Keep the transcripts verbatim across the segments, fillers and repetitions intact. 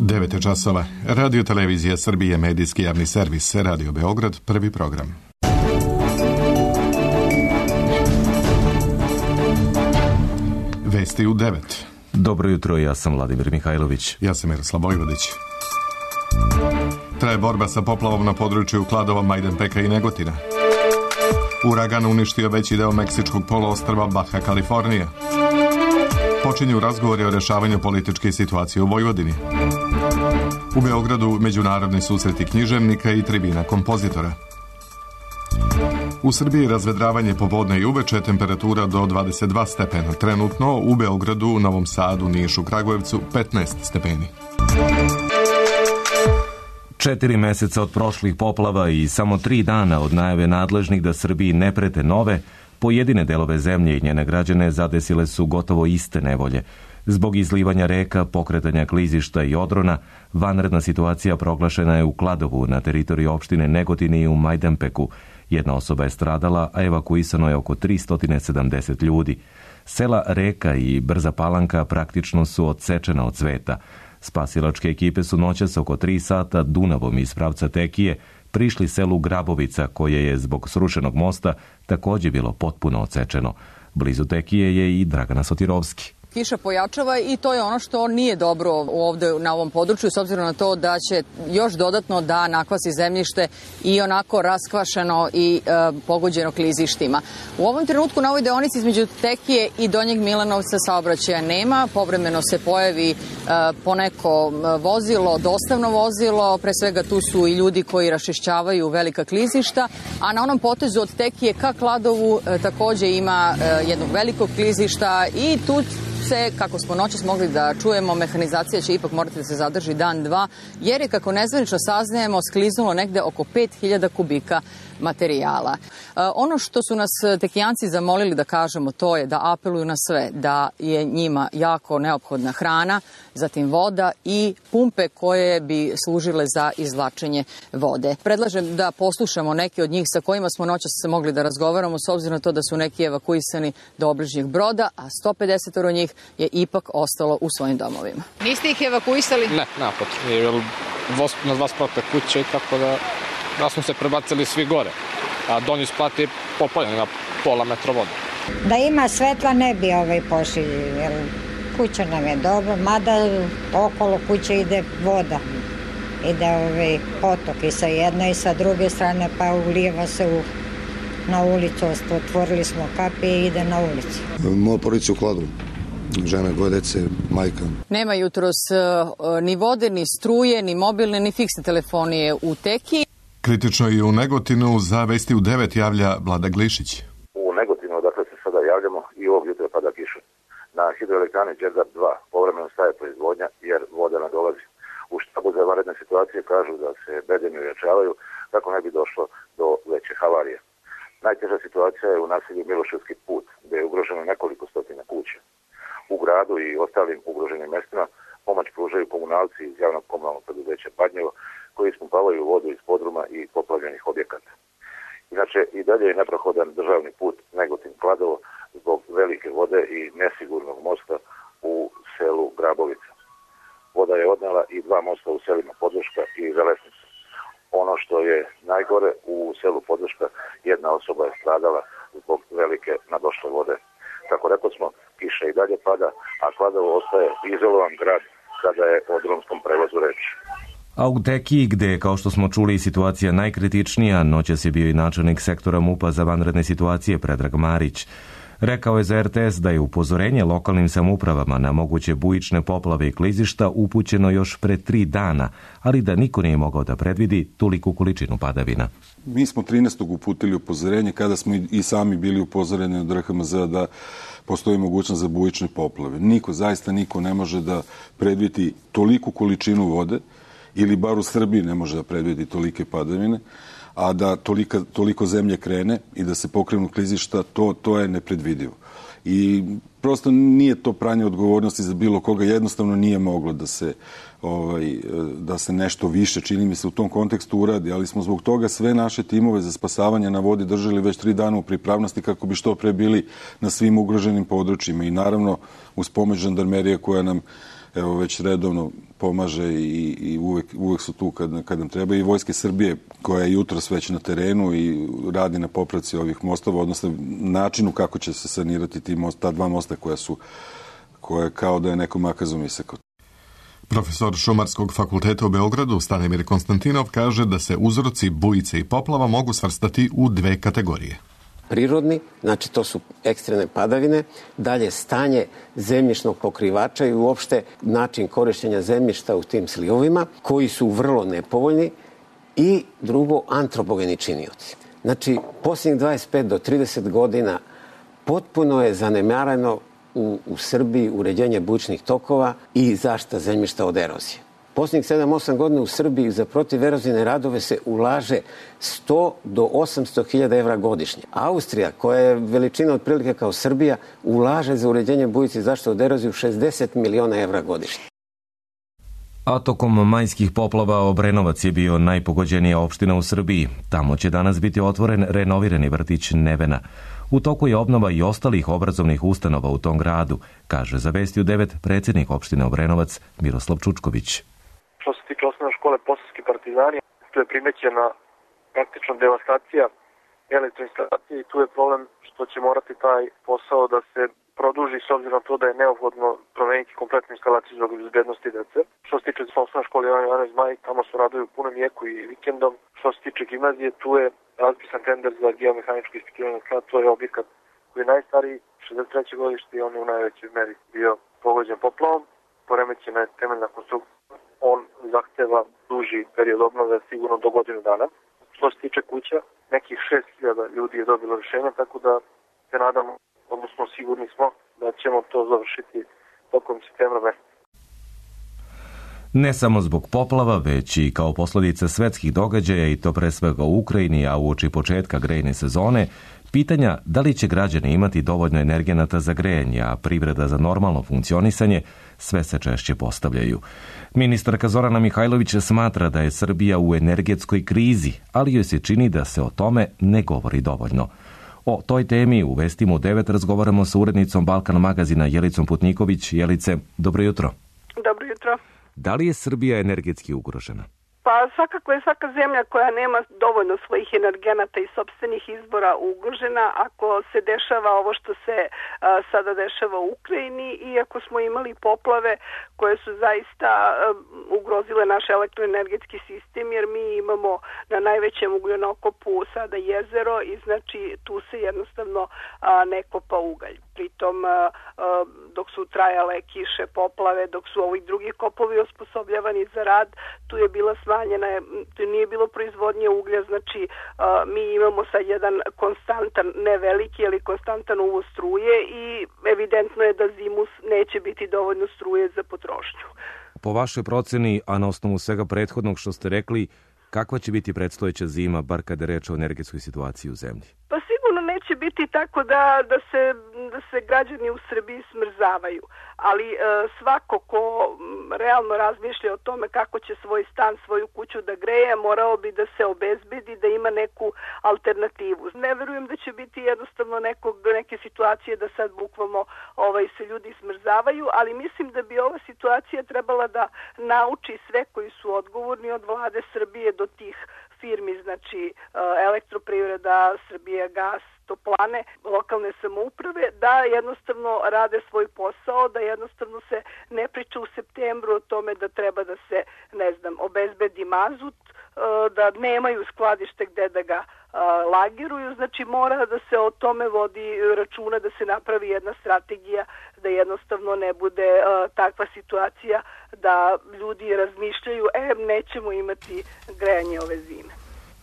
devet je časova. Radio Televizija Srbije, medijski javni servis, Radio Beograd, prvi program. Vesti u devet. Dobro jutro, ja sam Vladimir Mihajlović. Ja sam Miroslav Vojvodić. Traje borba sa poplavom na području Kladova, Majdanpeka i Negotina. Uragan uništio veći deo meksičkog poluostrva Baja Kalifornija. Počinju razgovori o rešavanju političke situacije u Vojvodini. U Beogradu međunarodni susreti književnika i tribina kompozitora. U Srbiji razvedravanje popodne i uveče, temperatura do dvadeset dva stepena. Trenutno u Beogradu, Novom Sadu, Nišu, Kragujevcu petnaest stepeni. Četiri meseca od prošlih poplava i samo tri dana od najave nadležnih da Srbiji ne prete nove, pojedine delove zemlje i njene građane zadesile su gotovo iste nevolje. Zbog izlivanja reka, pokretanja klizišta i odrona, vanredna situacija proglašena je u Kladovu na teritoriji opštine Negotin i u Majdanpeku. Jedna osoba je stradala, a evakuisano je oko tristo sedamdeset ljudi. Sela Reka i Brza Palanka praktično su odsečena od sveta. Spasilačke ekipe su noćas oko tri sata Dunavom iz pravca Tekije prišli selu Grabovica, koje je zbog srušenog mosta također bilo potpuno odsečeno. Blizu Tekije je i Dragana Sotirovski. Kiša pojačava i to je ono što nije dobro ovde na ovom području, s obzirom na to da će još dodatno da nakvasi zemljište i onako raskvašeno i e, pogođeno klizištima. U ovom trenutku na ovoj deonici između Tekije i Donjeg Milanovca saobraćaja nema, povremeno se pojavi e, poneko vozilo, dostavno vozilo, pre svega tu su i ljudi koji raščišćavaju velika klizišta, a na onom potezu od Tekije ka Kladovu e, također ima e, jednog velikog klizišta i tu se, kako smo noćas mogli da čujemo, mehanizacija će ipak morati da se zadrži dan, dva, jer je, kako nezvanično saznajemo, skliznulo negde oko pet hiljada kubika materijala. E, ono što su nas Tekijanci zamolili da kažemo, to je da apeluju na sve, da je njima jako neophodna hrana, zatim voda i pumpe koje bi služile za izvlačenje vode. Predlažem da poslušamo neke od njih sa kojima smo noćas se mogli da razgovaramo, s obzirom na to da su neki evakuisani do obližnjeg broda, a sto pedeset njih je ipak ostalo u svojim domovima. Niste ih evakuisali? Ne, napad. Jer na dva sprata kuće, tako da, da smo se prebacili svi gore. A donji sprat je popaljen na pola metra vode. Da ima svetla ne bi ovaj pošli, jer kuća nam je dobro, mada okolo kuće ide voda. Ide ovaj potok i sa jedne i sa druge strane, pa ulijeva se u, na ulicu. Otvorili smo kapije i ide na ulicu. Moja porodica u Kladovu. Žena, dvoje dece, majka. Nema jutros ni vode, ni struje, ni mobilne, ni fiksne telefonije u Tekiji. Kritično i u Negotinu, za Vesti u devet javlja Vlada Glišić. U Negotinu, odakle se sada javljamo, i ovog jutra pada kiša. Na hidroelektrani Đerdap dva povremeno staje proizvodnja jer voda ne dolazi. U štabu za vanredne situacije kažu da se bedemi ojačavaju kako ne bi došlo do veće havarije. Najteža situacija je u naselju Miloševski put, gde je ugroženo nekoliko stotina kuća. U gradu i ostalim ugroženim mestima pomoć pružaju komunalci iz javnog komunalnog preduzeća Badnjevo, koji ispumpavaju vodu iz podruma i poplavljenih objekata. Inače, i dalje je neprohodan državni put Negotin-Kladovo zbog velike vode i nesigurnog mosta u selu Grabovica. Voda je odnela i dva mosta u selima Podvrška i Železnica. Ono što je najgore, u selu Podvrška jedna osoba je stradala zbog velike nadošle vode. Kako rekao smo, kiša i dalje pada, a Kladovo ostaje izolovan grad kada je o drumskom prevozu reč. A u Tekiji, gde je, kao što smo čuli, situacija najkritičnija, noćas je bio i načelnik sektora MUP-a za vanredne situacije Predrag Marić. Rekao je za er te es da je upozorenje lokalnim samoupravama na moguće bujične poplave i klizišta upućeno još pre tri dana, ali da niko nije mogao da predvidi toliku količinu padavina. Mi smo trinaestog uputili upozorenje kada smo i sami bili upozoreni od er ha em ze da postoji mogućnost za bujične poplave. Niko, zaista niko ne može da predvidi toliku količinu vode, ili bar u Srbiji ne može da predvidi tolike padavine, a da tolika, toliko zemlje krene i da se pokrenu klizišta, to, to je nepredvidivo. I prosto nije to pranje odgovornosti za bilo koga, jednostavno nije moglo da se, ovaj, da se nešto više, čini mi se, u tom kontekstu uradi, ali smo zbog toga sve naše timove za spasavanje na vodi držali već tri dana u pripravnosti kako bi što pre bili na svim ugroženim područjima i naravno uz pomoć žandarmerije koja nam evo već redovno pomaže i, i uvek, uvek su tu kad, kad nam treba, i Vojske Srbije koja je jutros već na terenu i radi na popravci ovih mostova, odnosno načinu kako će se sanirati ti most, ta dva mosta koja su koja kao da je neko makazom isekao. Profesor Šumarskog fakulteta u Beogradu Stanimir Konstantinov kaže da se uzroci bujice i poplava mogu svrstati u dve kategorije. Prirodni, znači to su ekstremne padavine, dalje stanje zemljišnog pokrivača i uopšte način korištenja zemljišta u tim slivovima, koji su vrlo nepovoljni, i drugo, antropogeni činioci. Znači, posljednjih dvadeset pet do trideset godina potpuno je zanemareno u, u Srbiji uređenje bujičnih tokova i zaštita zemljišta od erozije. Posljednjih sedam osam godina u Srbiji za protiverozijne radove se ulaže sto do osamsto hiljada evra godišnje. Austrija, koja je veličina otprilike kao Srbija, ulaže za uređenje bujice i zaštitu od erozije šezdeset miliona evra godišnje. A tokom majskih poplava Obrenovac je bio najpogođenija opština u Srbiji. Tamo će danas biti otvoren renovirani vrtić Nevena. U toku je obnova i ostalih obrazovnih ustanova u tom gradu, kaže za Vesti u devet predsjednik opštine Obrenovac Miroslav Čučković. Što se tiče osnovne škole Posavski partizani, tu je primećena praktično devastacija elektroinstalacije i tu je problem što će morati taj posao da se produži s obzirom na to da je neophodno promeniti kompletnu instalaciju zbog bezbednosti dece. Što se tiče osnovne škole Jovan Zmaj, tamo su radovi u punom jeku i vikendom. Što se tiče gimnazije, tu je raspisan tender za geomehaničko ispitivanje tla, to je objekat koji je najstariji, šezdeset treće godište, i on je u najvećoj meri bio pogođen poplavom. Poremećena je temeljna konstrukcija. On zahteva duži period obnove, sigurno do godinu dana. Što se tiče kuća, nekih šest hiljada ljudi je dobilo rješenje, tako da se nadamo, odnosno sigurni smo da ćemo to završiti tokom septembra meseca. Ne samo zbog poplava, već i kao posljedica svetskih događaja, i to pre svega u Ukrajini, a uoči početka grejne sezone, pitanja da li će građani imati dovoljno energenata za grejanje, a privreda za normalno funkcionisanje, sve se češće postavljaju. Ministarka Zorana Mihajlović smatra da je Srbija u energetskoj krizi, ali joj se čini da se o tome ne govori dovoljno. O toj temi u Vestima u devet razgovaramo sa urednicom Balkan magazina Jelicom Putniković. Jelice, dobro jutro. Dobro jutro. Da li je Srbija energetski ugrožena? Pa svakako je svaka zemlja koja nema dovoljno svojih energenata i sopstvenih izbora ugrožena ako se dešava ovo što se a, sada dešava u Ukrajini, i ako smo imali poplave koje su zaista a, ugrozile naš elektroenergetski sistem, jer mi imamo na najvećem ugljenokopu sada jezero i znači tu se jednostavno a, ne kopa ugalj. Pritom a, a, dok su trajale kiše, poplave, dok su ovi drugi kopovi osposobljavani za rad, tu je bila smanjena, tu nije bilo proizvodnje uglja, znači a, mi imamo sad jedan konstantan, ne veliki, ali konstantan uvoz struje, i evidentno je da zimu neće biti dovoljno struje za potrošnju. Po vašoj proceni, a na osnovu svega prethodnog što ste rekli, kakva će biti predstojeća zima, bar kada je reč o energetskoj situaciji u zemlji? Pa sigurno neće biti tako da, da, se, da se građani u Srbiji smrzavaju, ali e, svako ko realno razmišlja o tome kako će svoj stan, svoju kuću da greje, morao bi da se obezbedi, da ima neku alternativu. Ne verujem da će biti jednostavno nekog, neke situacije da sad bukvalno ovaj, se ljudi smrzavaju, ali mislim da bi ova situacija trebala da nauči sve koji su odgovorni od vlade Srbije do tih firmi, znači Elektroprivreda, Srbija gas, toplane, lokalne samouprave, da jednostavno rade svoj posao, da jednostavno se ne priča u septembru o tome da treba da se, ne znam, obezbedi mazut, da nemaju skladište gde da ga lagiruju, znači mora da se o tome vodi računa, da se napravi jedna strategija, da jednostavno ne bude takva situacija da ljudi razmišljaju, e, nećemo imati grejanje ove zime.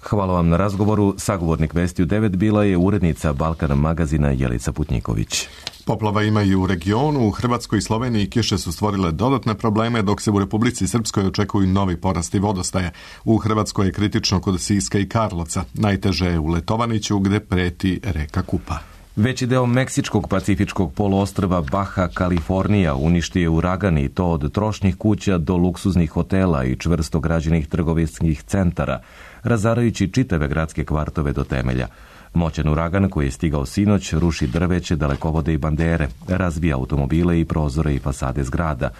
Hvala vam na razgovoru. Sagovornik Vesti u devet bila je urednica Balkan magazina Jelica Putniković. Poplava ima i u regionu. U Hrvatskoj i Sloveniji kiše su stvorile dodatne probleme, dok se u Republici Srpskoj očekuju novi porasti vodostaja. U Hrvatskoj je kritično kod Siska i Karlovca. Najteže je u Letovaniću, gde preti reka Kupa. Veći deo meksičkog pacifičkog poluostrva Baja Kalifornija uništio je uragan, i to od trošnih kuća do luksuznih hotela i čvrsto građenih trgovinskih centara, razarajući čitave gradske kvartove do temelja. Moćan uragan koji je stigao sinoć ruši drveće, dalekovode i bandere, razbija automobile i prozore i fasade zgrada.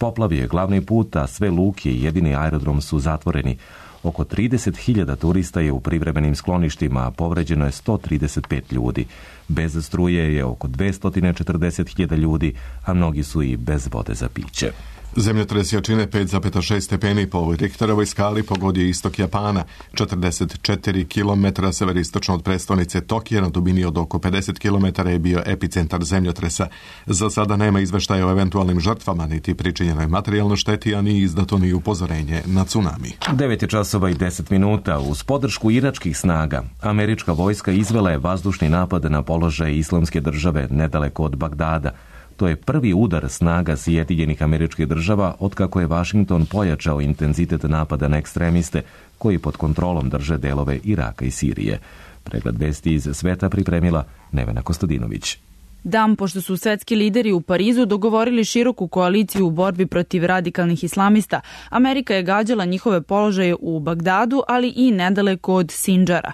Poplav je glavni put, a sve luke i jedini aerodrom su zatvoreni. Oko trideset hiljada turista je u privremenim skloništima, a povređeno je sto trideset pet ljudi. Bez struje je oko dvesta četrdeset hiljada ljudi, a mnogi su i bez vode za piće. Zemljotres jačine pet zarez šest stepeni po Richterovoj skali pogodio istok Japana, četrdeset četiri kilometra severistočno od prestonice Tokija, na dubini od oko pedeset kilometara je bio epicentar zemljotresa. Za sada nema izveštaja o eventualnim žrtvama, niti pričinjenoj materijalnoj šteti, a ni izdato ni upozorenje na tsunami. devet je časova i deset minuta. Uz podršku iračkih snaga, američka vojska izvela je vazdušni napad na položaje Islamske države nedaleko od Bagdada. To je prvi udar snaga Sjedinjenih Američkih Država otkako je Vašington pojačao intenzitet napada na ekstremiste koji pod kontrolom drže delove Iraka i Sirije. Pregled vesti iz sveta pripremila Nevena Kostadinović. Dan pošto su svetski lideri u Parizu dogovorili široku koaliciju u borbi protiv radikalnih islamista, Amerika je gađala njihove položaje u Bagdadu, ali i nedaleko od Sindžara.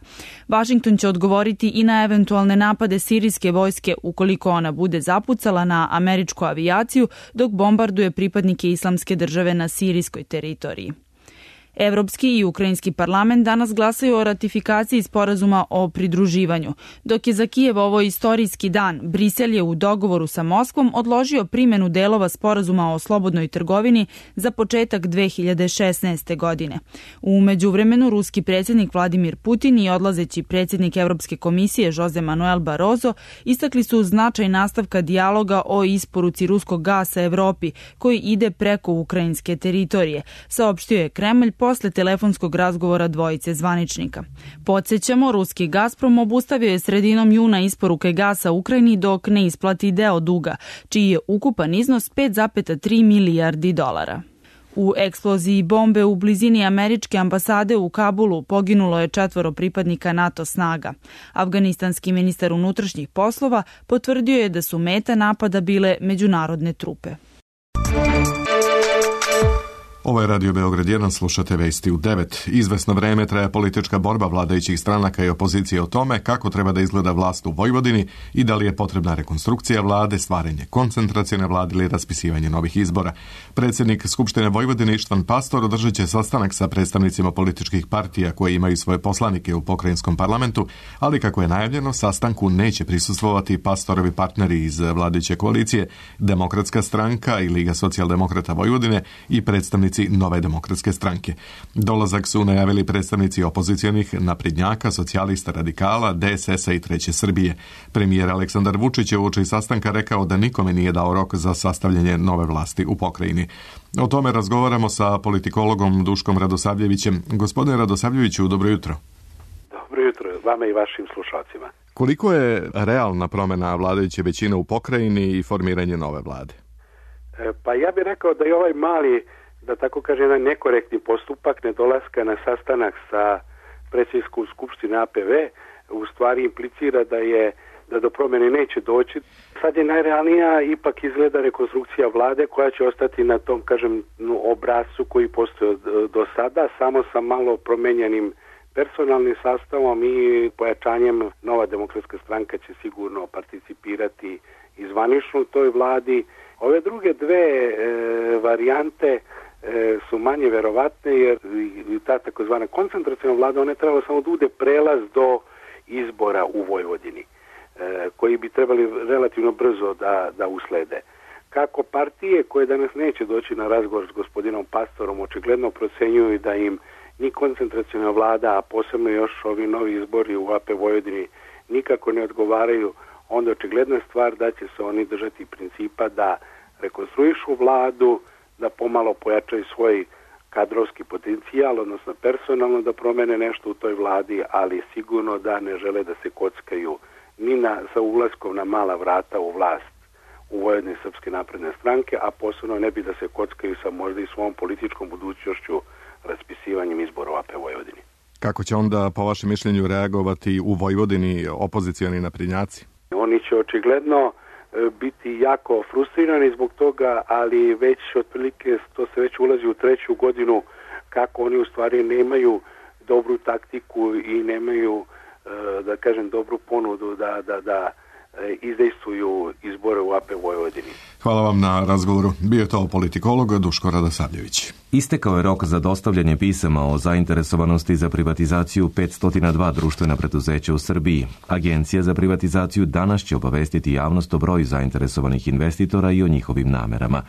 Vašington će odgovoriti i na eventualne napade sirijske vojske ukoliko ona bude zapucala na američku avijaciju dok bombarduje pripadnike Islamske države na sirijskoj teritoriji. Evropski i ukrajinski parlament danas glasaju o ratifikaciji sporazuma o pridruživanju. Dok je za Kijev ovo istorijski dan, Brisel je u dogovoru sa Moskvom odložio primjenu delova sporazuma o slobodnoj trgovini za početak dve hiljade šesnaeste. godine. U međuvremenu, ruski predsjednik Vladimir Putin i odlazeći predsjednik Evropske komisije Jose Manuel Barroso istakli su značaj nastavka dijaloga o isporuci ruskog gasa Evropi koji ide preko ukrajinske teritorije, saopštio je Kremlj posle telefonskog razgovora dvojice zvaničnika. Podsjećamo, ruski Gazprom obustavio je sredinom juna isporuke gasa Ukrajini dok ne isplati deo duga, čiji je ukupan iznos pet zarez tri milijardi dolara. U eksploziji bombe u blizini američke ambasade u Kabulu poginulo je četvoro pripadnika NATO snaga. Afganistanski ministar unutrašnjih poslova potvrdio je da su meta napada bile međunarodne trupe. Ovo je Radio Beograd jedan, slušate vesti u devet. Izvesno vreme traja politička borba vladajućih stranaka i opozicije o tome kako treba da izgleda vlast u Vojvodini i da li je potrebna rekonstrukcija vlade, stvaranje koncentracione vlade ili raspisivanje novih izbora. Predsjednik Skupštine Vojvodine Ištvan Pastor održat će sastanak sa predstavnicima političkih partija koje imaju svoje poslanike u pokrajinskom parlamentu, ali kako je najavljeno, sastanku neće prisustvovati Pastorovi partneri iz vladajuće koalicije, Demokratska stranka i Liga socijaldemokrata Vojvodine i predstavnici Nove demokratske stranke. Dolazak su najavili predstavnici opozicionih naprednjaka, socijalista, radikala, D S S-a i Treće Srbije. Premijer Aleksandar Vučić je uoči sastanka rekao da nikome nije dao rok za sastavljanje nove vlasti u pokrajini. O tome razgovaramo sa politikologom Duškom Radosavljevićem. Gospodine Radosavljeviću, dobro jutro. Dobro jutro, vama i vašim slušalcima. Koliko je realna promjena vladajuće većine u pokrajini i formiranje nove vlade? E, pa ja bih rekao da je ovaj mali, da tako kaže, jedan nekorektni postupak nedolaska na sastanak sa predsjedničkom skupštine A P V u stvari implicira da je da do promjene neće doći. Sad je najrealnija ipak izgleda rekonstrukcija vlade koja će ostati na tom, kažem, obrascu koji postoji do sada, samo sa malo promenjenim personalnim sastavom i pojačanjem. Nova demokratska stranka će sigurno participirati i zvanično u toj vladi. Ove druge dve e, varijante e, su manje verovatne jer ta takozvana koncentracijna vlada, ona je trebala samo da bude prelaz do izbora u Vojvodini, e, koji bi trebali relativno brzo da, da uslede. Kako partije koje danas neće doći na razgovor s gospodinom Pastorom očigledno procenjuju da im ni koncentracijna vlada, a posebno još ovi novi izbori u A P Vojvodini nikako ne odgovaraju, onda očigledna stvar da će se oni držati principa da rekonstruišu vladu, da pomalo pojačaju svoj kadrovski potencijal, odnosno personalno da promene nešto u toj vladi, ali sigurno da ne žele da se kockaju ni na, sa ulaskom na mala vrata u vlast u Vojvodini Srpske napredne stranke, a posebno ne bi da se kockaju sa možda i svom političkom budućnošću raspisivanjem izbora u A P Vojvodini. Kako će onda, po vašem mišljenju, reagovati u Vojvodini opozicioni naprednjaci? Oni će očigledno biti jako frustrirani zbog toga, ali već otprilike to se već ulazi u treću godinu kako oni u stvari nemaju dobru taktiku i nemaju, da kažem, dobru ponudu da, da, da izdejstvuju izbore u A P Vojvodini. Hvala vam na razgovoru. Bio je to politikolog Duško Radosavljević. Istekao je rok za dostavljanje pisama o zainteresovanosti za privatizaciju petsto dva društvena preduzeća u Srbiji. Agencija za privatizaciju danas će obavestiti javnost o broju zainteresovanih investitora i o njihovim namerama.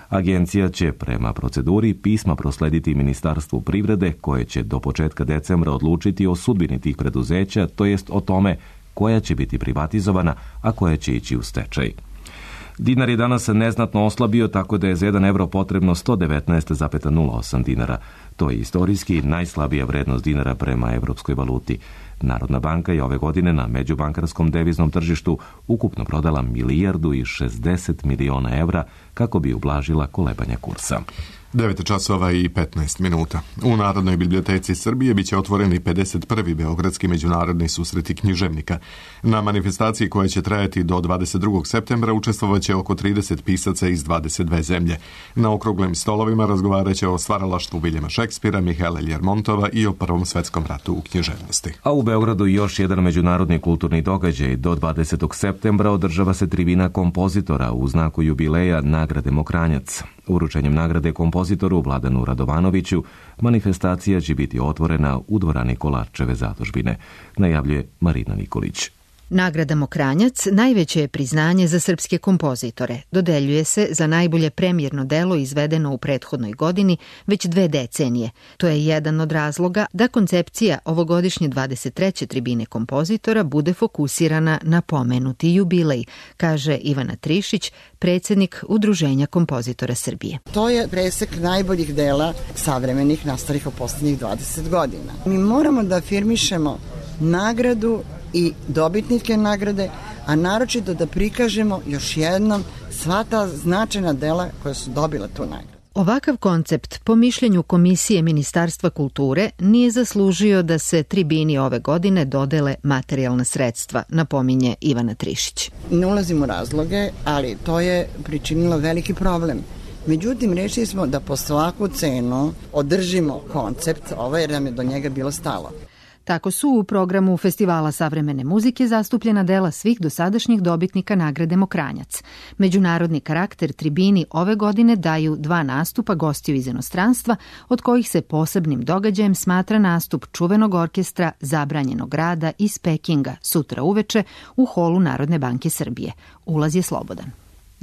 Agencija će prema proceduri pisma proslediti Ministarstvu privrede, koje će do početka decembra odlučiti o sudbini tih preduzeća, to jest o tome koja će biti privatizovana, a koja će ići u stečaj. Dinar je danas neznatno oslabio, tako da je za jedan evro potrebno sto devetnaest zarez nula osam dinara. To je istorijski najslabija vrednost dinara prema evropskoj valuti. Narodna banka je ove godine na međubankarskom deviznom tržištu ukupno prodala milijardu i šezdeset miliona evra kako bi ublažila kolebanja kursa. devet časova i petnaest minuta. U Narodnoj biblioteci Srbije biće otvoreni pedeset prvi Beogradski međunarodni susreti književnika. Na manifestaciji koja će trajati do dvadeset drugog septembra učestvovaće oko trideset pisaca iz dvadeset dve zemlje. Na okruglim stolovima razgovaraće o stvaralaštvu Viljama Šekspira, Mihaela Ljermontova i o Prvom svetskom ratu u književnosti. A u Beogradu još jedan međunarodni kulturni događaj. Do dvadesetog septembra održava se tribina kompozitora u znaku jubileja nagrade Mokranjac. Uručenjem nagrade kompozitoru Vladanu Radovanoviću manifestacija će biti otvorena u dvorani Kolarčeve zadužbine, najavljuje Marina Nikolić. Nagrada Mokranjac najveće je priznanje za srpske kompozitore. Dodeljuje se za najbolje premijerno delo izvedeno u prethodnoj godini već dve decenije. To je jedan od razloga da koncepcija ovogodišnje dvadeset treće tribine kompozitora bude fokusirana na pomenuti jubilej, kaže Ivana Trišić, predsjednik Udruženja kompozitora Srbije. To je presek najboljih dela savremenih nastalih u posljednjih dvadeset godina. Mi moramo da afirmišemo nagradu i dobitnike nagrade, a naročito da prikažemo još jednom sva ta značajna dela koja su dobila tu nagradu. Ovakav koncept, po mišljenju Komisije Ministarstva kulture, nije zaslužio da se tribini ove godine dodele materijalna sredstva, napominje Ivana Trišić. Ne ulazim u razloge, ali to je pričinilo veliki problem. Međutim, rešili smo da po svaku cenu održimo koncept, ovaj, jer nam je do njega bilo stalo. Tako su u programu Festivala savremene muzike zastupljena dela svih dosadašnjih dobitnika nagrade Mokranjac. Međunarodni karakter tribini ove godine daju dva nastupa gostiju iz inostranstva, od kojih se posebnim događajem smatra nastup čuvenog orkestra Zabranjenog rada iz Pekinga sutra uveče u holu Narodne banke Srbije. Ulaz je slobodan.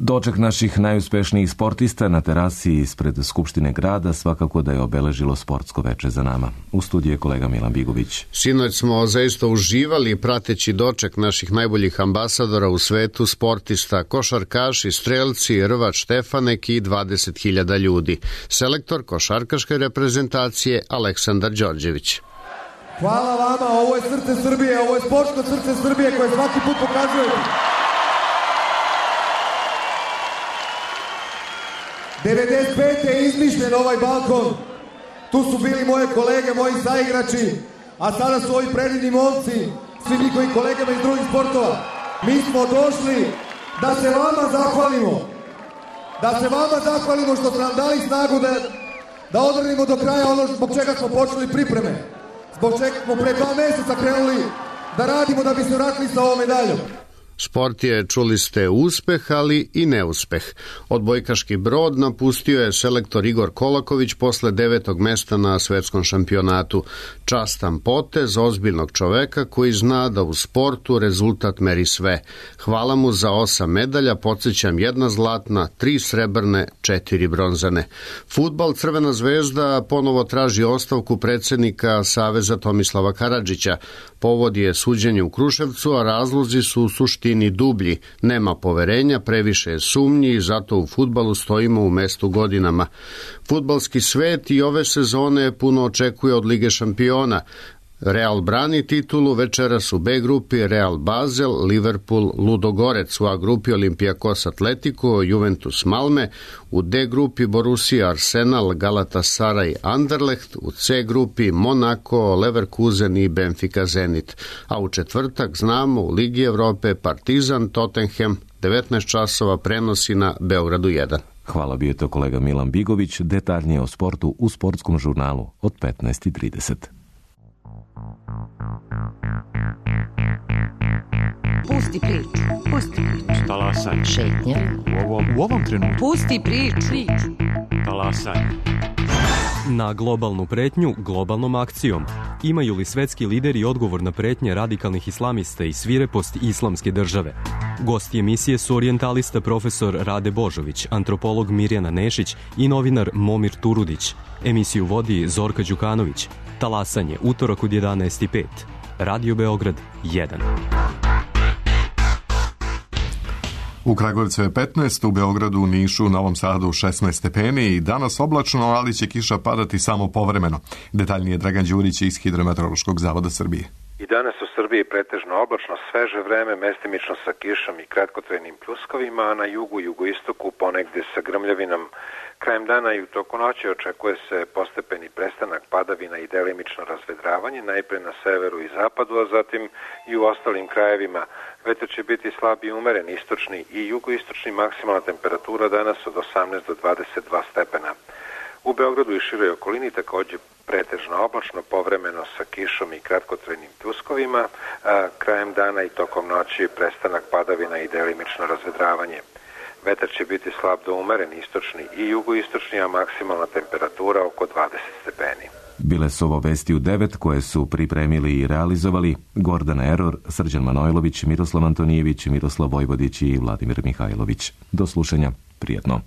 Doček naših najuspešnijih sportista na terasi ispred Skupštine grada svakako da je obeležilo sportsko veče za nama. U studiju je kolega Milan Bigović. Sinoć smo zaista uživali prateći doček naših najboljih ambasadora u svetu, sportista, košarkaši, strelci, rvač Štefanek i dvadeset hiljada ljudi. Selektor košarkaške reprezentacije Aleksandar Đorđević. Hvala vama, ovo je srce Srbije, ovo je sportsko srce Srbije koje svaki put pokazujete. devedeset pete je izmišljen ovaj balkon, tu su bili moje kolege, moji saigrači, a sada su ovi predivni momci, svi njihovi kolegama iz drugih sportova. Mi smo došli da se vama zahvalimo, da se vama zahvalimo što ste nam dali snagu da, da odradimo do kraja ono zbog čega smo počeli pripreme, zbog čega smo pre dva meseca krenuli da radimo da bi se vratili sa ovom medaljom. Sport je, čuli ste, uspeh, ali i neuspeh. Odbojkaški brod napustio je selektor Igor Kolaković posle devetog mesta na svetskom šampionatu. Častan potez ozbiljnog čoveka koji zna da u sportu rezultat meri sve. Hvala mu za osam medalja, podsjećam jedna zlatna, tri srebrne, četiri bronzane. Fudbal, Crvena zvezda ponovo traži ostavku predsjednika Saveza Tomislava Karadžića. Povod je suđenje u Kruševcu, a razlozi su u suštini dublji. Nema poverenja, previše je sumnji i zato u fudbalu stojimo u mestu godinama. Fudbalski svet i ove sezone puno očekuje od Lige šampiona. Real brani titulu, večeras u B grupi Real Basel, Liverpool, Ludogorec, u A grupi Olympiakos Atletico, Juventus Malme, u D grupi Borussia Arsenal, Galatasaray Anderlecht, u C grupi Monaco, Leverkusen i Benfica Zenit. A u četvrtak znamo u Ligi Evrope Partizan Tottenham, devetnaest časova prenosi na Beogradu jedan. Hvala, bio je to kolega Milan Bigović, detaljnije o sportu u sportskom žurnalu od petnaest i trideset. Thank you. Pusti priču, pusti priču. Talasaj. Šetnja. U ovom, u ovom trenutku. Pusti priču. Talasaj. Na globalnu pretnju globalnom akcijom. Imaju li svetski lideri odgovor na pretnje radikalnih islamista i svirepost islamske države? Gosti emisije su orijentalista profesor Rade Božović, antropolog Mirjana Nešić i novinar Momir Turudić. Emisiju vodi Zorka Đukanović. Talasanje, utorak od jedanaest i pet. Radio Beograd jedan. U Kragujevcu je petnaest, u Beogradu, Nišu, Novom Sadu šesnaest stepeni i danas oblačno, ali će kiša padati samo povremeno. Detaljnije Dragan Đurić iz Hidrometeorološkog zavoda Srbije. I danas u Srbiji pretežno oblačno, sveže vreme, mestimično sa kišom i kratkotrajnim pljuskovima, a na jugu i jugoistoku ponegde sa grmljavinom. Krajem dana i u toku noći očekuje se postepeni prestanak padavina i delimično razvedravanje, najpre na severu i zapadu, a zatim i u ostalim krajevima. Vetar će biti slab i umeren, istočni i jugoistočni, maksimalna temperatura danas od osamnaest do dvadeset dva stepena. U Beogradu i široj okolini takođe pretežno oblačno, povremeno sa kišom i kratkotrajnim pljuskovima, a krajem dana i tokom noći prestanak padavina i delimično razvedravanje. Vetar će biti slab do umeren, istočni i jugoistočni, a maksimalna temperatura oko dvadeset stepeni. Bile su ovo vesti u devet koje su pripremili i realizovali Gordana Eror, Srđan Manojlović, Miroslav Antonijević, Miroslav Vojvodić i Vladimir Mihajlović. Do slušanja, prijatno.